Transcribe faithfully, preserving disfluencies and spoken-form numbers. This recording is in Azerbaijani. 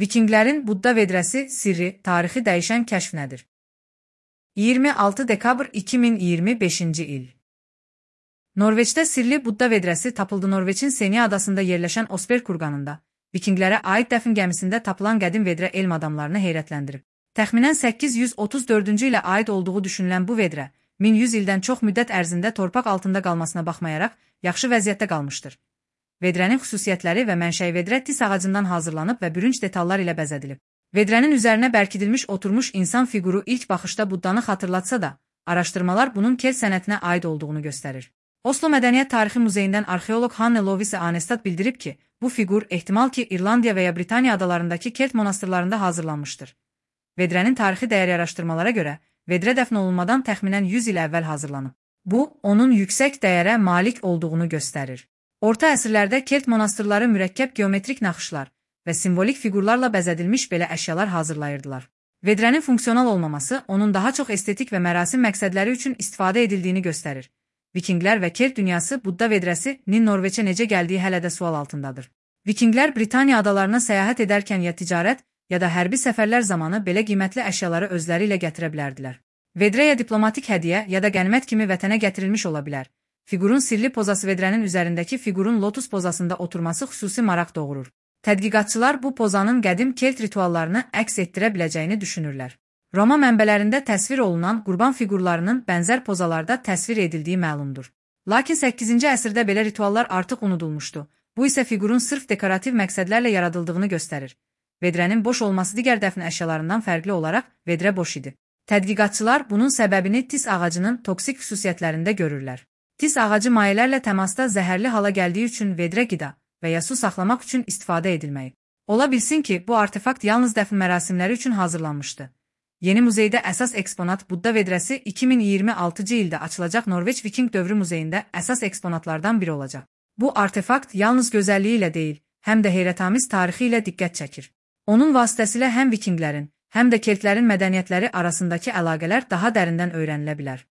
Vikinglərin Budda vedrəsi sirri, tarixi dəyişən kəşf nədir? iyirmi altı dekabr iki min iyirmi beşinci il. Norveçdə sirli Budda vedrəsi tapıldı. Norveçin Senja adasında yerləşən Osberg kurqanında Vikinglərə aid dəfn gəmisində tapılan qədim vedrə elm adamlarını heyrətləndirib. Təxminən səkkiz yüz otuz dördüncü ilə aid olduğu düşünülən bu vedrə min yüz ildən çox müddət ərzində torpaq altında qalmasına baxmayaraq yaxşı vəziyyətdə qalmışdır. Vedrənin xüsusiyyətləri və mənşəyi vedrə tis ağacından hazırlanıb və bürünc detallar ilə bəzədilib. Vedrənin üzərinə bərkidilmiş oturmuş insan fiquru ilk baxışda Buddanı xatırlatsa da, araşdırmalar bunun kelt sənətinə aid olduğunu göstərir. Oslo Mədəniyyət Tarixi Muzeyindən arxeoloq Hanne Lovise Anestad bildirib ki, bu fiqur ehtimal ki İrlandiya və ya Britaniya adalarındakı kelt monastırlarında hazırlanmışdır. Vedrənin tarixi dəyəri araşdırmalara görə, vedrə dəfn olunmadan təxminən yüz il əvvəl hazırlanıb. Bu, onun yüksək dəyərə malik olduğunu göstərir. Orta əsrlərdə kelt monastırları mürəkkəb geometrik naxışlar və simvolik fiqurlarla bəzədilmiş belə əşyalar hazırlayırdılar. Vedrənin funksional olmaması onun daha çox estetik və mərasim məqsədləri üçün istifadə edildiyini göstərir. Vikinglər və kelt dünyası Budda vedrəsinin Norveçə necə gəldiyi hələ də sual altındadır. Vikinglər Britaniya adalarına səyahət edərkən ya ticarət, ya da hərbi səfərlər zamanı belə qiymətli əşyaları özləri ilə gətirə bilərdilər. Vedrə ya diplomatik hədiyyə, ya da qənimət kimi vətənə gətirilmiş ola bilər. Fiqurun sirli pozası vedrənin üzərindəki fiqurun lotus pozasında oturması xüsusi maraq doğurur. Tədqiqatçılar bu pozanın qədim kelt rituallarını əks etdirə biləcəyini düşünürlər. Roma mənbələrində təsvir olunan qurban fiqurlarının bənzər pozalarda təsvir edildiyi məlumdur. Lakin səkkizinci əsrdə belə rituallar artıq unudulmuşdu. Bu isə fiqurun sırf dekorativ məqsədlərlə yaradıldığını göstərir. Vedrənin boş olması digər dəfn əşyalarından fərqli olaraq vedrə boş idi. Tədqiqatçılar bunun səbəbini tis ağacının toksik xüsusiyyətlərində görürlər. Tis ağacı mayelərlə təmasda zəhərli hala gəldiyi üçün vedrə qida və ya su saxlamaq üçün istifadə edilməyib. Ola bilsin ki, bu artefakt yalnız dəfn mərasimləri üçün hazırlanmışdı. Yeni muzeydə əsas eksponat Budda vedrəsi iki min iyirmi altıncı ildə açılacaq Norveç Viking dövrü muzeyində əsas eksponatlardan biri olacaq. Bu artefakt yalnız gözəlliyi ilə deyil, həm də heyrətamiz tarixi ilə diqqət çəkir. Onun vasitəsilə həm vikinglərin, həm də keltlərin mədəniyyətləri arasındakı əlaqələr daha dərindən öyrənilə bilər.